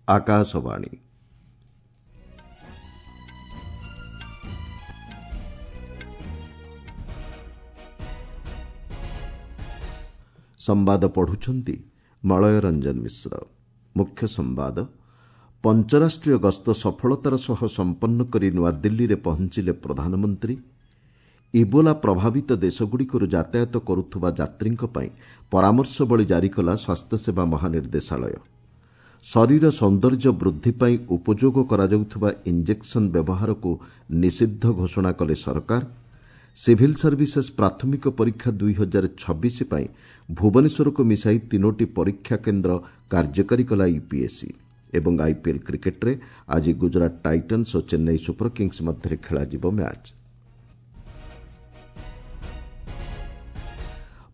ଆକାଶବାଣୀ। ସମ୍ବାଦ ପଢ଼ୁଛନ୍ତି ମଳୟ ରଞ୍ଜନ ମିଶ୍ର। ମୁଖ୍ୟ ସମ୍ବାଦ। ପଞ୍ଚରାଷ୍ଟ୍ରୀୟ ଗସ୍ତ ସଫଳତାର ସହ ସମ୍ପନ୍ନ କରି ନୂଆଦିଲ୍ଲୀରେ ପହଞ୍ଚିଲେ ପ୍ରଧାନମନ୍ତ୍ରୀ। ଇବୋଲା ପ୍ରଭାବିତ ଦେଶଗୁଡ଼ିକରୁ ଯାତାୟାତ କରୁଥିବା ଯାତ୍ରୀଙ୍କ ପାଇଁ ପରାମର୍ଶବଳୀ ଜାରି କଲା ସ୍ୱାସ୍ଥ୍ୟସେବା ମହାନିର୍ଦ୍ଦେଶାଳୟ। ଶରୀର ସୌନ୍ଦର୍ଯ୍ୟ ବୃଦ୍ଧି ପାଇଁ ଉପଯୋଗ କରାଯାଉଥିବା ଇଞ୍ଜେକ୍ସନ୍ ବ୍ୟବହାରକୁ ନିଷିଦ୍ଧ ଘୋଷଣା କଲେ ସରକାର। ସିଭିଲ୍ ସର୍ଭିସେସ୍ ପ୍ରାଥମିକ ପରୀକ୍ଷା 2026 ପାଇଁ ଭୁବନେଶ୍ୱରକୁ ମିଶାଇ ତିନୋଟି ପରୀକ୍ଷା କେନ୍ଦ୍ର କାର୍ଯ୍ୟକାରୀ କଲା ୟୁପିଏସ୍ସି। ଏବଂ ଆଇପିଏଲ୍ କ୍ରିକେଟ୍ରେ ଆଜି ଗୁଜରାଟ ଟାଇଟନ୍ସ ଓ ଚେନ୍ନାଇ ସୁପର କିଙ୍ଗସ୍ ମଧ୍ୟରେ ଖେଳାଯିବ ମ୍ୟାଚ୍।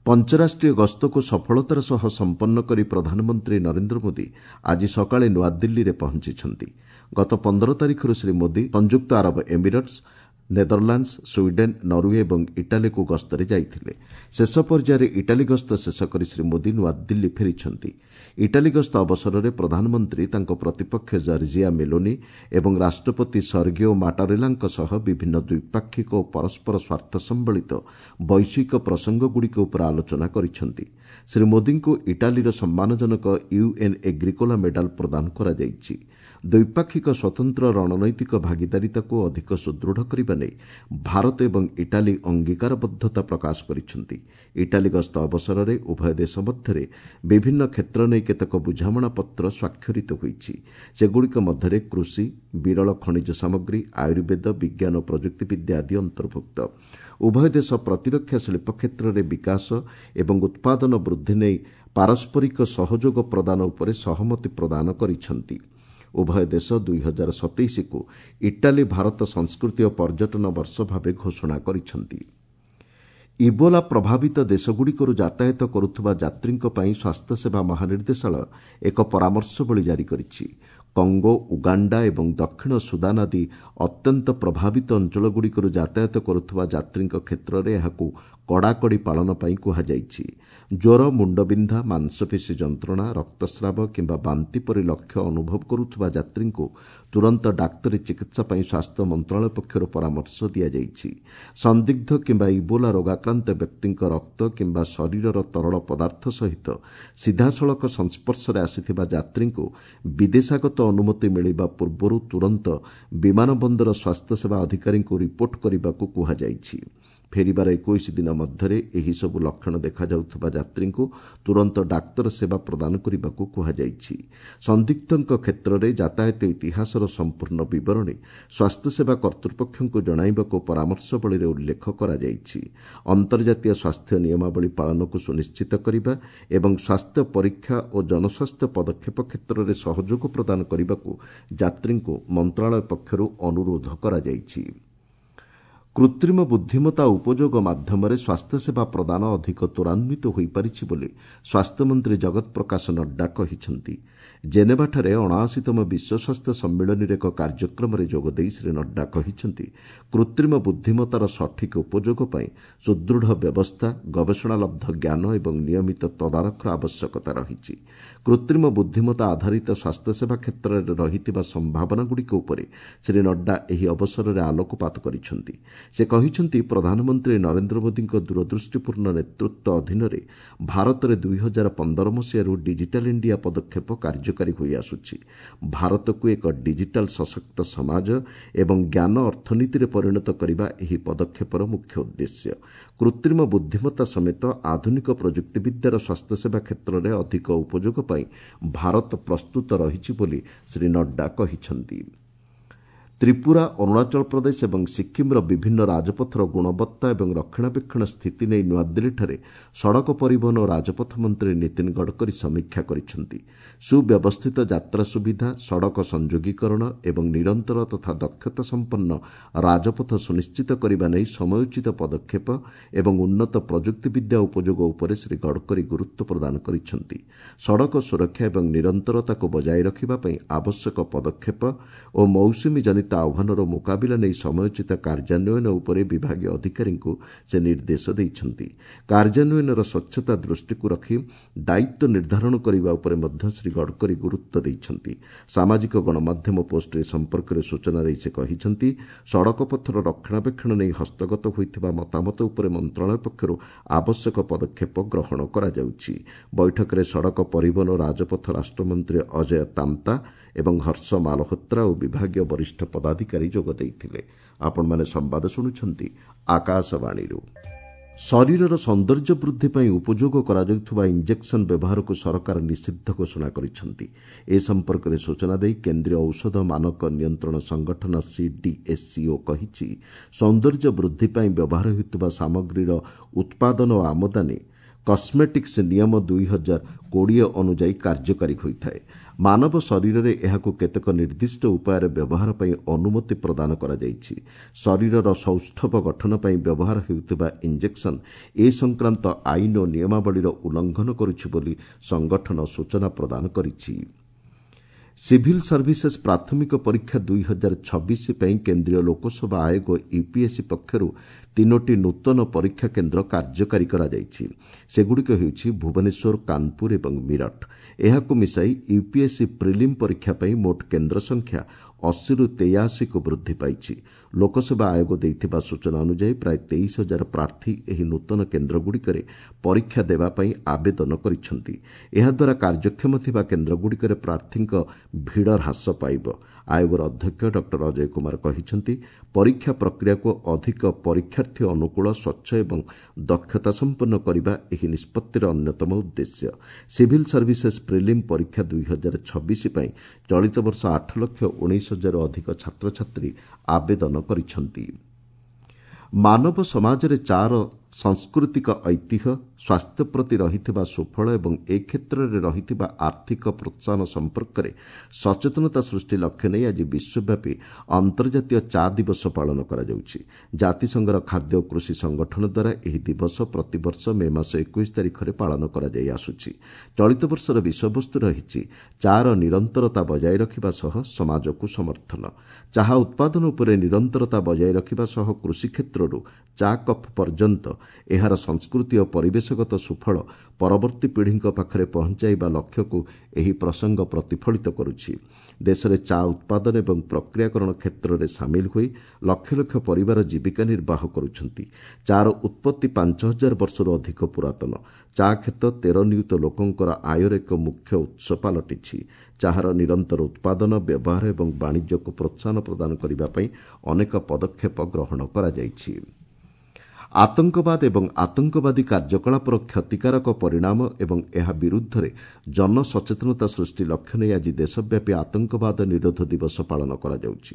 ପଞ୍ଚରାଷ୍ଟ୍ରୀୟ ଗସ୍ତକୁ ସଫଳତାର ସହ ସମ୍ପନ୍ନ କରି ପ୍ରଧାନମନ୍ତ୍ରୀ ନରେନ୍ଦ୍ର ମୋଦି ଆଜି ସକାଳେ ନୂଆଦିଲ୍ଲୀରେ ପହଞ୍ଚିଛନ୍ତି। ଗତ 15 ତାରିଖରୁ ଶ୍ରୀ ମୋଦି ସଂଯୁକ୍ତ ଆରବ ଏମିରେଟ୍ସ, ନେଦରଲାଣ୍ଡସ୍, ସ୍ୱିଡେନ୍, ନରୱେ ଏବଂ ଇଟାଲୀକୁ ଗସ୍ତରେ ଯାଇଥିଲେ। ଶେଷ ପର୍ଯ୍ୟାୟରେ ଇଟାଲୀ ଗସ୍ତ ଶେଷ କରି ଶ୍ରୀ ମୋଦି ନୂଆଦିଲ୍ଲୀ ଫେରିଛନ୍ତି। ଇଟାଲୀ ଗସ୍ତ ଅବସରରେ ପ୍ରଧାନମନ୍ତ୍ରୀ ତାଙ୍କ ପ୍ରତିପକ୍ଷ ଜର୍ଜିଆ ମେଲୋନି ଏବଂ ରାଷ୍ଟ୍ରପତି ସର୍ଗିଓ ମାଟାରେଲାଙ୍କ ସହ ବିଭିନ୍ନ ଦ୍ୱିପାକ୍ଷିକ ଓ ପରସ୍ପର ସ୍ୱାର୍ଥ ସମ୍ବଳିତ ବୈଶ୍ୱିକ ପ୍ରସଙ୍ଗଗୁଡ଼ିକ ଉପରେ ଆଲୋଚନା କରିଛନ୍ତି। ଶ୍ରୀ ମୋଦିଙ୍କୁ ଇଟାଲୀର ସମ୍ମାନଜନକ ୟୁଏନ୍ ଏଗ୍ରିକୋଲା ମେଡାଲ ପ୍ରଦାନ କରାଯାଇଛି। ଦ୍ୱିପାକ୍ଷିକ ସ୍ୱତନ୍ତ୍ର ରଣନୈତିକ ଭାଗିଦାରିତାକୁ ଅଧିକ ସୁଦୃଢ଼ କରିବା ନେଇ ଭାରତ ଏବଂ ଇଟାଲୀ ଅଙ୍ଗୀକାରବଦ୍ଧତା ପ୍ରକାଶ କରିଛନ୍ତି। ଇଟାଲୀ ଗସ୍ତ ଅବସରରେ ଉଭୟ ଦେଶ ମଧ୍ୟରେ ବିଭିନ୍ନ କ୍ଷେତ୍ର ନେଇ କେତେକ ବୁଝାମଣାପତ୍ର ସ୍ୱାକ୍ଷରିତ ହୋଇଛି। ସେଗୁଡ଼ିକ ମଧ୍ୟରେ କୃଷି, ବିରଳ ଖଣିଜ ସାମଗ୍ରୀ, ଆୟୁର୍ବେଦ, ବିଜ୍ଞାନ ଓ ପ୍ରଯୁକ୍ତିବିଦ୍ୟା ଆଦି ଅନ୍ତର୍ଭୁକ୍ତ। ଉଭୟ ଦେଶ ପ୍ରତିରକ୍ଷା ଶିଳ୍ପ କ୍ଷେତ୍ରରେ ବିକାଶ ଏବଂ ଉତ୍ପାଦନ ବୃଦ୍ଧି ନେଇ ପାରସ୍ପରିକ ସହଯୋଗ ପ୍ରଦାନ ଉପରେ ସହମତି ପ୍ରଦାନ କରିଛନ୍ତି। ଉଭୟ ଦେଶ 2027କୁ ଇଟାଲୀ ଭାରତ ସଂସ୍କୃତି ଓ ପର୍ଯ୍ୟଟନ ବର୍ଷ ଭାବେ ଘୋଷଣା କରିଛନ୍ତି। ଇବୋଲା ପ୍ରଭାବିତ ଦେଶଗୁଡ଼ିକରୁ ଯାତାୟାତ କରୁଥିବା ଯାତ୍ରୀଙ୍କ ପାଇଁ ସ୍ୱାସ୍ଥ୍ୟସେବା ମହାନିର୍ଦ୍ଦେଶାଳୟ ଏକ ପରାମର୍ଶବଳୀ ଜାରି କରିଛି। କଙ୍ଗୋ, ଉଗାଣ୍ଡା ଏବଂ ଦକ୍ଷିଣ ସୁଦାନ ଆଦି ଅତ୍ୟନ୍ତ ପ୍ରଭାବିତ ଅଞ୍ଚଳଗୁଡ଼ିକରୁ ଯାତାୟାତ କରୁଥିବା ଯାତ୍ରୀଙ୍କ କ୍ଷେତ୍ରରେ ଏହାକୁ କଡ଼ାକଡ଼ି ପାଳନ ପାଇଁ କୁହାଯାଇଛି। ଜ୍ୱର, ମୁଣ୍ଡବିନ୍ଧା, ମାଂସପେଶୀ ଯନ୍ତ୍ରଣା, ରକ୍ତସ୍ରାବ କିମ୍ବା ବାନ୍ତି ପରି ଲକ୍ଷ୍ୟ ଅନୁଭବ କରୁଥିବା ଯାତ୍ରୀଙ୍କୁ ତୁରନ୍ତ ଡାକ୍ତରୀ ଚିକିତ୍ସା ପାଇଁ ସ୍ୱାସ୍ଥ୍ୟ ମନ୍ତ୍ରଣାଳୟ ପକ୍ଷରୁ ପରାମର୍ଶ ଦିଆଯାଇଛି। ସନ୍ଦିଗ୍ଧ କିମ୍ବା ଇବୋଲା ରୋଗାକ୍ରାନ୍ତ ବ୍ୟକ୍ତିଙ୍କ ରକ୍ତ କିମ୍ବା ଶରୀରର ତରଳ ପଦାର୍ଥ ସହିତ ସିଧାସଳଖ ସଂସ୍ପର୍ଶରେ ଆସିଥିବା ଯାତ୍ରୀଙ୍କୁ ବିଦେଶାଗତ ଅନୁମତି ମିଳିବା ପୂର୍ବରୁ ତୁରନ୍ତ ବିମାନ ବନ୍ଦର ସ୍ୱାସ୍ଥ୍ୟସେବା ଅଧିକାରୀଙ୍କୁ ରିପୋର୍ଟ କରିବାକୁ କୁହାଯାଇଛି। ଫେରିବାର 21 ଦିନ ମଧ୍ୟରେ ଏହିସବୁ ଲକ୍ଷଣ ଦେଖାଯାଉଥିବା ଯାତ୍ରୀଙ୍କୁ ତୁରନ୍ତ ଡାକ୍ତର ସେବା ପ୍ରଦାନ କରିବାକୁ କୁହାଯାଇଛି। ସନ୍ଦିଗ୍ଧଙ୍କ କ୍ଷେତ୍ରରେ ଯାତାୟାତ ଇତିହାସର ସମ୍ପୂର୍ଣ୍ଣ ବିବରଣୀ ସ୍ୱାସ୍ଥ୍ୟସେବା କର୍ତ୍ତୃପକ୍ଷଙ୍କୁ ଜଣାଇବାକୁ ପରାମର୍ଶବଳୀରେ ଉଲ୍ଲେଖ କରାଯାଇଛି। ଅନ୍ତର୍ଜାତୀୟ ସ୍ୱାସ୍ଥ୍ୟ ନିୟମାବଳୀ ପାଳନକୁ ସୁନିଶ୍ଚିତ କରିବା ଏବଂ ସ୍ୱାସ୍ଥ୍ୟ ପରୀକ୍ଷା ଓ ଜନସ୍ୱାସ୍ଥ୍ୟ ପଦକ୍ଷେପ କ୍ଷେତ୍ରରେ ସହଯୋଗ ପ୍ରଦାନ କରିବାକୁ ଯାତ୍ରୀଙ୍କୁ ମନ୍ତ୍ରଣାଳୟ ପକ୍ଷରୁ ଅନୁରୋଧ କରାଯାଇଛି। କୃତ୍ରିମ ବୁଦ୍ଧିମତ୍ତା ଉପଯୋଗ ମାଧ୍ୟମରେ ସ୍ୱାସ୍ଥ୍ୟସେବା ପ୍ରଦାନ ଅଧିକ ତ୍ୱରାନ୍ୱିତ ହୋଇପାରିଛି ବୋଲି ସ୍ୱାସ୍ଥ୍ୟମନ୍ତ୍ରୀ ଜଗତ ପ୍ରକାଶ ନଡ୍ଡା କହିଛନ୍ତି। ଜେନେଭାଠାରେ 79ତମ ବିଶ୍ୱ ସ୍ୱାସ୍ଥ୍ୟ ସମ୍ମିଳନୀରେ ଏକ କାର୍ଯ୍ୟକ୍ରମରେ ଯୋଗଦେଇ ଶ୍ରୀ ନଡ୍ଡା କହିଛନ୍ତି, କୃତ୍ରିମ ବୁଦ୍ଧିମତ୍ତାର ସଠିକ୍ ଉପଯୋଗ ପାଇଁ ସୁଦୃଢ଼ ବ୍ୟବସ୍ଥା, ଗବେଷଣାଲବ୍ଧ ଜ୍ଞାନ ଏବଂ ନିୟମିତ ତଦାରଖର ଆବଶ୍ୟକତା ରହିଛି। କୃତ୍ରିମ ବୁଦ୍ଧିମତ୍ତା ଆଧାରିତ ସ୍ୱାସ୍ଥ୍ୟସେବା କ୍ଷେତ୍ରରେ ରହିଥିବା ସମ୍ଭାବନାଗୁଡ଼ିକ ଉପରେ ଶ୍ରୀ ନଡ୍ଡା ଏହି ଅବସରରେ ଆଲୋକପାତ କରିଛନ୍ତି। ସେ କହିଛନ୍ତି, ପ୍ରଧାନମନ୍ତ୍ରୀ ନରେନ୍ଦ୍ର ମୋଦିଙ୍କ ଦୂରଦୃଷ୍ଟିପୂର୍ଣ୍ଣ ନେତୃତ୍ୱ ଅଧୀନରେ ଭାରତରେ 2015 ମସିହାରୁ ଡିଜିଟାଲ୍ ଇଣ୍ଡିଆ ପଦକ୍ଷେପ କାର୍ଯ୍ୟକାରୀ ହୋଇଆସୁଛି। ଭାରତକୁ ଏକ ଡିଜିଟାଲ୍ ସଶକ୍ତ ସମାଜ ଏବଂ ଜ୍ଞାନ ଅର୍ଥନୀତିରେ ପରିଣତ କରିବା ଏହି ପଦକ୍ଷେପର ମୁଖ୍ୟ ଉଦ୍ଦେଶ୍ୟ। କୃତ୍ରିମ ବୁଦ୍ଧିମତ୍ତା ସମେତ ଆଧୁନିକ ପ୍ରଯୁକ୍ତିବିଦ୍ୟାର ସ୍ୱାସ୍ଥ୍ୟସେବା କ୍ଷେତ୍ରରେ ଅଧିକ ଉପଯୋଗ ପାଇଁ ଭାରତ ପ୍ରସ୍ତୁତ ରହିଛି ବୋଲି ଶ୍ରୀ ନଡ୍ଡା କହିଛନ୍ତି। ତ୍ରିପୁରା, ଅରୁଣାଚଳ ପ୍ରଦେଶ ଏବଂ ସିକ୍କିମ୍ର ବିଭିନ୍ନ ରାଜପଥର ଗୁଣବତ୍ତା ଏବଂ ରକ୍ଷଣାବେକ୍ଷଣ ସ୍ଥିତି ନେଇ ନୂଆଦିଲ୍ଲୀଠାରେ ସଡ଼କ ପରିବହନ ଓ ରାଜପଥ ମନ୍ତ୍ରୀ ନୀତିନ ଗଡ଼କରୀ ସମୀକ୍ଷା କରିଛନ୍ତି। ସୁବ୍ୟବସ୍ଥିତ ଯାତ୍ରା ସୁବିଧା, ସଡ଼କ ସଂଯୋଗୀକରଣ ଏବଂ ନିରନ୍ତର ତଥା ଦକ୍ଷତା ସମ୍ପନ୍ନ ରାଜପଥ ସୁନିଶ୍ଚିତ କରିବା ନେଇ ସମୟୋଚିତ ପଦକ୍ଷେପ ଏବଂ ଉନ୍ନତ ପ୍ରଯୁକ୍ତିବିଦ୍ୟା ଉପଯୋଗ ଉପରେ ଶ୍ରୀ ଗଡ଼କରୀ ଗୁରୁତ୍ୱ ପ୍ରଦାନ କରିଛନ୍ତି। ସଡ଼କ ସୁରକ୍ଷା ଏବଂ ନିରନ୍ତରତାକୁ ବଜାୟ ରଖିବା ପାଇଁ ଆବଶ୍ୟକ ପଦକ୍ଷେପ ଓ ମୌସୁମୀ ଜନିତ ଜନିତ ଆହ୍ୱାନର ମୁକାବିଲା ନେଇ ସମୟୋଚିତ କାର୍ଯ୍ୟାନ୍ୱୟନ ଉପରେ ବିଭାଗୀୟ ଅଧିକାରୀଙ୍କୁ ସେ ନିର୍ଦ୍ଦେଶ ଦେଇଛନ୍ତି। କାର୍ଯ୍ୟାନ୍ୱୟନର ସ୍ୱଚ୍ଛତା ଦୃଷ୍ଟିକୁ ରଖି ଦାୟିତ୍ୱ ନିର୍ଦ୍ଧାରଣ କରିବା ଉପରେ ମଧ୍ୟ ଶ୍ରୀ ଗଡ଼କରୀ ଗୁରୁତ୍ୱ ଦେଇଛନ୍ତି। ସାମାଜିକ ଗଣମାଧ୍ୟମ ପୋଷ୍ଟରେ ସମ୍ପର୍କରେ ସୂଚନା ଦେଇ ସେ କହିଛନ୍ତି, ସଡ଼କପଥର ରକ୍ଷଣାବେକ୍ଷଣ ନେଇ ହସ୍ତଗତ ହୋଇଥିବା ମତାମତ ଉପରେ ମନ୍ତ୍ରଣାଳୟ ପକ୍ଷରୁ ଆବଶ୍ୟକ ପଦକ୍ଷେପ ଗ୍ରହଣ କରାଯାଉଛି। ବୈଠକରେ ସଡ଼କ ପରିବହନ ଓ ରାଜପଥ ରାଷ୍ଟ୍ରମନ୍ତ୍ରୀ ଅଜୟ ତାମ୍ତା ଏବଂ ହର୍ଷ ମାଲହୋତ୍ରା ଓ ବିଭାଗୀୟ ବରିଷ୍ଠ ପଦାଧିକାରୀ ଯୋଗ ଦେଇଥିଲେ। ଆପଣମାନେ ସମ୍ବାଦ ଶୁଣୁଛନ୍ତି ଆକାଶବାଣୀରୁ। ଶରୀରର ସୌନ୍ଦର୍ଯ୍ୟ ବୃଦ୍ଧି ପାଇଁ ଉପଯୋଗ କରାଯାଉଥିବା ଇଞ୍ଜେକ୍ସନ୍ ବ୍ୟବହାରକୁ ସରକାର ନିଷିଦ୍ଧ ଘୋଷଣା କରିଛନ୍ତି। ଏ ସମ୍ପର୍କରେ ସୂଚନା ଦେଇ କେନ୍ଦ୍ରୀୟ ଔଷଧ ମାନକ ନିୟନ୍ତ୍ରଣ ସଂଗଠନ ସିଡିଏସ୍ସିଓ କହିଛି, ସୌନ୍ଦର୍ଯ୍ୟ ବୃଦ୍ଧି ପାଇଁ ବ୍ୟବହାର ହେଉଥିବା ସାମଗ୍ରୀର ଉତ୍ପାଦନ ଓ ଆମଦାନୀ କସ୍ମେଟିକ୍ସ ନିୟମ 2020 ଅନୁଯାୟୀ କାର୍ଯ୍ୟକାରୀ ହୋଇଥାଏ। ମାନବ ଶରୀରରେ ଏହାକୁ କେତେକ ନିର୍ଦ୍ଦିଷ୍ଟ ଉପାୟରେ ବ୍ୟବହାର ପାଇଁ ଅନୁମତି ପ୍ରଦାନ କରାଯାଇଛି। ଶରୀରର ସୌଷ୍ଠବ ଗଠନ ପାଇଁ ବ୍ୟବହାର ହେଉଥିବା ଇଞ୍ଜେକ୍ସନ୍ ଏ ସଂକ୍ରାନ୍ତ ଆଇନ ଓ ନିୟମାବଳୀର ଉଲ୍ଲଂଘନ କରୁଛି ବୋଲି ସଂଗଠନ ସୂଚନା ପ୍ରଦାନ କରିଛି। ସିଭିଲ୍ ସର୍ଭିସେସ୍ ପ୍ରାଥମିକ ପରୀକ୍ଷା 2026 ପାଇଁ କେନ୍ଦ୍ରୀୟ ଲୋକସେବା ଆୟୋଗ ୟୁପିଏସ୍ସି ପକ୍ଷରୁ 3ଟି ନୂତନ ପରୀକ୍ଷା କେନ୍ଦ୍ର କାର୍ଯ୍ୟକାରୀ କରାଯାଇଛି। ସେଗୁଡ଼ିକ ହେଉଛି ଭୁବନେଶ୍ୱର, କାନପୁର ଏବଂ ମିରଟ। ଏହାକୁ ମିଶାଇ ୟୁପିଏସ୍ସି ପ୍ରିଲିମ୍ ପରୀକ୍ଷା ପାଇଁ ମୋଟ କେନ୍ଦ୍ର ସଂଖ୍ୟା 80ରୁ 83କୁ ବୃଦ୍ଧି ପାଇଛି। ଲୋକସେବା ଆୟୋଗ ଦେଇଥିବା ସୂଚନା ଅନୁଯାୟୀ ପ୍ରାୟ 23,000 ପ୍ରାର୍ଥୀ ଏହି ନୂତନ କେନ୍ଦ୍ରଗୁଡ଼ିକରେ ପରୀକ୍ଷା ଦେବା ପାଇଁ ଆବେଦନ କରିଛନ୍ତି। ଏହାଦ୍ୱାରା କାର୍ଯ୍ୟକ୍ଷମ ଥିବା କେନ୍ଦ୍ରଗୁଡ଼ିକରେ ପ୍ରାର୍ଥୀଙ୍କ ଭିଡ଼ ହ୍ରାସ ପାଇବ। ଆୟୋଗର ଅଧ୍ୟକ୍ଷ ଡକ୍ଟର ଅଜୟ କୁମାର କହିଛନ୍ତି, ପରୀକ୍ଷା ପ୍ରକ୍ରିୟାକୁ ଅଧିକ ପରୀକ୍ଷାର୍ଥୀ ଅନୁକୂଳ, ସ୍ୱଚ୍ଛ ଏବଂ ଦକ୍ଷତା ସମ୍ପନ୍ନ କରିବା ଏହି ନିଷ୍ପତ୍ତିର ଅନ୍ୟତମ ଉଦ୍ଦେଶ୍ୟ। ସିଭିଲ୍ ସର୍ଭିସେସ୍ ପ୍ରିଲିମ୍ ପରୀକ୍ଷା 2026 ପାଇଁ ଚଳିତ ବର୍ଷ 8,19,000ରୁ ଅଧିକ ଛାତ୍ରଛାତ୍ରୀ ଆବେଦନ କରିଛନ୍ତି। ମାନବ ସମାଜରେ ଚା'ର ସାଂସ୍କୃତିକ ଐତିହ୍ୟ, ସ୍ୱାସ୍ଥ୍ୟ ପ୍ରତି ରହିଥିବା ସୁଫଳ ଏବଂ ଏ କ୍ଷେତ୍ରରେ ରହିଥିବା ଆର୍ଥିକ ପ୍ରୋତ୍ସାହନ ସମ୍ପର୍କରେ ସଚେତନତା ସୃଷ୍ଟି ଲକ୍ଷ୍ୟ ନେଇ ଆଜି ବିଶ୍ୱବ୍ୟାପୀ ଅନ୍ତର୍ଜାତୀୟ ଚା ଦିବସ ପାଳନ କରାଯାଉଛି। ଜାତିସଂଘର ଖାଦ୍ୟ ଓ କୃଷି ସଂଗଠନ ଦ୍ୱାରା ଏହି ଦିବସ ପ୍ରତିବର୍ଷ ମେ ମାସ 21 ତାରିଖରେ ପାଳନ କରାଯାଇ ଆସୁଛି। ଚଳିତ ବର୍ଷର ବିଷୟବସ୍ତୁ ରହିଛି ଚା'ର ନିରନ୍ତରତା ବଜାୟ ରଖିବା ସହ ସମାଜକୁ ସମର୍ଥନ। ଚାହା ଉତ୍ପାଦନ ଉପରେ ନିରନ୍ତରତା ବଜାୟ ରଖିବା ସହ କୃଷି କ୍ଷେତ୍ରରୁ ଚା କପ୍ ପର୍ଯ୍ୟନ୍ତ ଏହାର ସଂସ୍କୃତି ଓ ପରିବେଶଗତ ସୁଫଳ ପରବର୍ତ୍ତୀ ପିଢ଼ିଙ୍କ ପାଖରେ ପହଞ୍ଚାଇବା ଲକ୍ଷ୍ୟକୁ ଏହି ପ୍ରସଙ୍ଗ ପ୍ରତିଫଳିତ କରୁଛି। ଦେଶରେ ଚା ଉତ୍ପାଦନ ଏବଂ ପ୍ରକ୍ରିୟାକରଣ କ୍ଷେତ୍ରରେ ସାମିଲ ହୋଇ ଲକ୍ଷ ଲକ୍ଷ ପରିବାର ଜୀବିକା ନିର୍ବାହ କରୁଛନ୍ତି। ଚା'ର ଉତ୍ପତ୍ତି 5000 ବର୍ଷରୁ ଅଧିକ ପୁରାତନ। ଚା କ୍ଷେତ 13 ନିୟୁତ ଲୋକଙ୍କର ଆୟର ଏକ ମୁଖ୍ୟ ଉତ୍ସ ପାଲଟିଛି। ଚାହାର ନିରନ୍ତର ଉତ୍ପାଦନ, ବ୍ୟବହାର ଏବଂ ବାଣିଜ୍ୟକୁ ପ୍ରୋତ୍ସାହନ ପ୍ରଦାନ କରିବା ପାଇଁ ଅନେକ ପଦକ୍ଷେପ ଗ୍ରହଣ କରାଯାଇଛି। ଆତଙ୍କବାଦ ଏବଂ ଆତଙ୍କବାଦୀ କାର୍ଯ୍ୟକଳାପର କ୍ଷତିକାରକ ପରିଣାମ ଏବଂ ଏହା ବିରୁଦ୍ଧରେ ଜନସଚେତନତା ସୃଷ୍ଟି ଲକ୍ଷ୍ୟ ନେଇ ଆଜି ଦେଶବ୍ୟାପୀ ଆତଙ୍କବାଦ ନିରୋଧ ଦିବସ ପାଳନ କରାଯାଉଛି।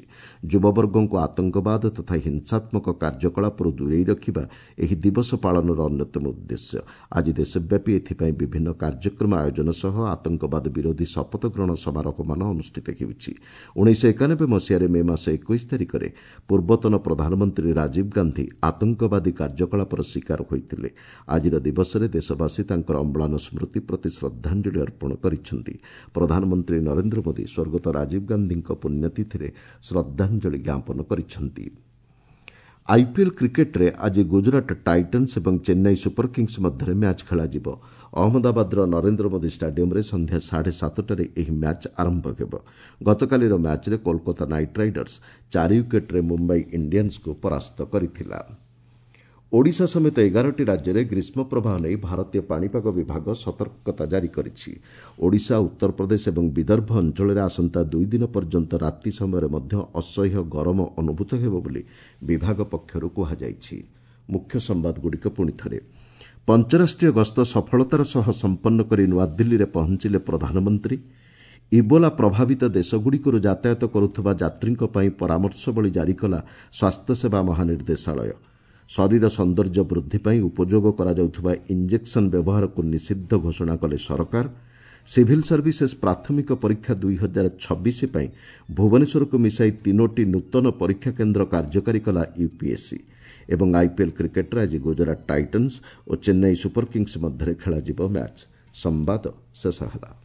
ଯୁବବର୍ଗଙ୍କୁ ଆତଙ୍କବାଦ ତଥା ହିଂସାତ୍ମକ କାର୍ଯ୍ୟକଳାପରୁ ଦୂରେଇ ରଖିବା ଏହି ଦିବସ ପାଳନର ଅନ୍ୟତମ ଉଦ୍ଦେଶ୍ୟ। ଆଜି ଦେଶବ୍ୟାପୀ ଏଥିପାଇଁ ବିଭିନ୍ନ କାର୍ଯ୍ୟକ୍ରମ ଆୟୋଜନ ସହ ଆତଙ୍କବାଦ ବିରୋଧୀ ଶପଥ ଗ୍ରହଣ ସମାରୋହମାନ ଅନୁଷ୍ଠିତ ହେଉଛି। 1991 ମସିହାରେ ମେ ମାସ 21 ତାରିଖରେ ପୂର୍ବତନ ପ୍ରଧାନମନ୍ତ୍ରୀ ରାଜୀବ ଗାନ୍ଧୀ ଆତଙ୍କବାଦୀ କାର୍ଯ୍ୟକଳାପର ଶିକାର ହୋଇଥିଲେ। ଆଜିର ଦିବସରେ ଦେଶବାସୀ ତାଙ୍କର ଅମ୍ଳାନ ସ୍ମୃତି ପ୍ରତି ଶ୍ରଦ୍ଧାଞ୍ଜଳି ଅର୍ପଣ କରିଛନ୍ତି। ପ୍ରଧାନମନ୍ତ୍ରୀ ନରେନ୍ଦ୍ର ମୋଦି ସ୍ୱର୍ଗତ ରାଜୀବ ଗାନ୍ଧୀଙ୍କ ପୁଣ୍ୟତିଥିରେ ଶ୍ରଦ୍ଧାଞ୍ଜଳି ଜ୍ଞାପନ କରିଛନ୍ତି। ଆଇପିଏଲ୍ କ୍ରିକେଟ୍ରେ ଆଜି ଗୁଜରାଟ ଟାଇଟନ୍ସ ଏବଂ ଚେନ୍ନାଇ ସୁପର କିଙ୍ଗସ୍ ମଧ୍ୟରେ ମ୍ୟାଚ୍ ଖେଳାଯିବ। ଅହମ୍ମଦାବାଦର ନରେନ୍ଦ୍ର ମୋଦି ଷ୍ଟାଡିୟମ୍ରେ ସନ୍ଧ୍ୟା 7:30ରେ ଏହି ମ୍ୟାଚ୍ ଆରମ୍ଭ ହେବ। ଗତକାଲିର ମ୍ୟାଚ୍ରେ କୋଲକାତା ନାଇଟ୍ ରାଇଡର୍ସ 4 ୱିକେଟ୍ରେ ମୁମ୍ବାଇ ଇଣ୍ଡିଆନ୍ସକୁ ପରାସ୍ତ କରିଥିଲା। ଓଡ଼ିଶା ସମେତ 11ଟି ରାଜ୍ୟରେ ଗ୍ରୀଷ୍ମ ପ୍ରବାହ ନେଇ ଭାରତୀୟ ପାଣିପାଗ ବିଭାଗ ସତର୍କତା ଜାରି କରିଛି। ଓଡ଼ିଶା, ଉତ୍ତରପ୍ରଦେଶ ଏବଂ ବିଦର୍ଭ ଅଞ୍ଚଳରେ ଆସନ୍ତା 2 ଦିନ ପର୍ଯ୍ୟନ୍ତ ରାତି ସମୟରେ ମଧ୍ୟ ଅସହ୍ୟ ଗରମ ଅନୁଭୂତ ହେବ ବୋଲି ବିଭାଗ ପକ୍ଷରୁ କୁହାଯାଇଛି। ମୁଖ୍ୟ ସମ୍ବାଦଗୁଡ଼ିକ ପୁଣି ଥରେ। ପଞ୍ଚରାଷ୍ଟ୍ରୀୟ ଗସ୍ତ ସଫଳତାର ସହ ସମ୍ପନ୍ନ କରି ନୂଆଦିଲ୍ଲୀରେ ପହଞ୍ଚିଲେ ପ୍ରଧାନମନ୍ତ୍ରୀ। ଇବୋଲା ପ୍ରଭାବିତ ଦେଶଗୁଡ଼ିକରୁ ଯାତାୟାତ କରୁଥିବା ଯାତ୍ରୀଙ୍କ ପାଇଁ ପରାମର୍ଶବଳୀ ଜାରି କଲା ସ୍ୱାସ୍ଥ୍ୟସେବା ମହାନିର୍ଦ୍ଦେଶାଳୟ। ଶରୀର ସୌନ୍ଦର୍ଯ୍ୟ ବୃଦ୍ଧି ପାଇଁ ଉପଯୋଗ କରାଯାଉଥିବା ଇଞ୍ଜେକ୍ସନ୍ ବ୍ୟବହାରକୁ ନିଷିଦ୍ଧ ଘୋଷଣା କଲେ ସରକାର। ସିଭିଲ୍ ସର୍ଭିସେସ୍ ପ୍ରାଥମିକ ପରୀକ୍ଷା 2026 ପାଇଁ ଭୁବନେଶ୍ୱରକୁ ମିଶାଇ 3ଟି ନୂତନ ପରୀକ୍ଷା କେନ୍ଦ୍ର କାର୍ଯ୍ୟକାରୀ କଲା ୟୁପିଏସ୍ସି। ଏବଂ ଆଇପିଏଲ୍ କ୍ରିକେଟ୍ରେ ଆଜି ଗୁଜରାଟ ଟାଇଟନ୍ସ ଓ ଚେନ୍ନାଇ ସୁପର କିଙ୍ଗସ୍ ମଧ୍ୟରେ ଖେଳାଯିବ ମ୍ୟାଚ୍। ସମ୍ବାଦ ଶେଷ ହେଲା।